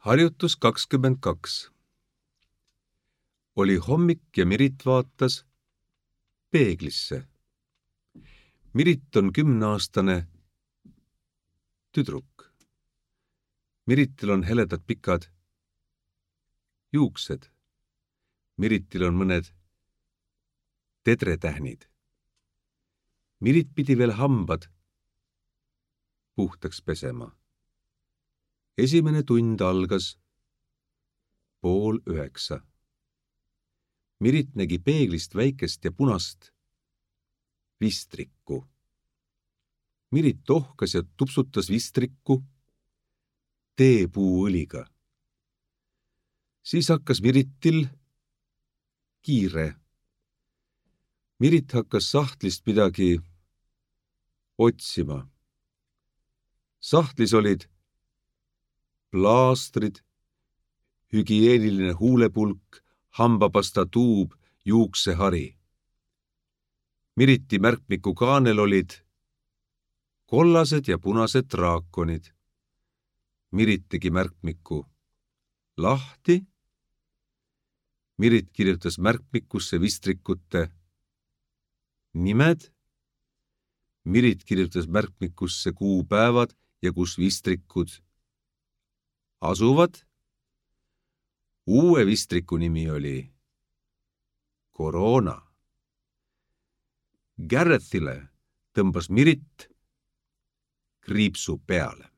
Harjutus 22. Oli hommik ja Mirit vaatas peeglisse. Mirit on 10-aastane tüdruk. Miritil on heledad pikad juuksed. Miritil on mõned tedretähnid. Mirit pidi veel hambad puhtaks pesema. Esimene tund algas 8:30. Mirit nägi peeglist väikest ja punast vistrikku. Mirit tohkas ja tupsutas vistrikku teepuuõliga. Siis hakkas Miritil kiire. Mirit hakkas sahtlist midagi otsima. Sahtlis olid plaastrid, hügieeniline huulepulk, hambapasta tuub, juuksehari. Miriti märkmiku kaanel olid kollased ja punased draakonid. Mirit tegi märkmiku lahti. Mirit kirjutas märkmikusse vistrikute nimed. Mirit kirjutas märkmikusse kuupäevad ja kus vistrikud asuvad. Uue vistriku nimi oli Koroona. Garethile tõmbas Mirit kriipsu peale.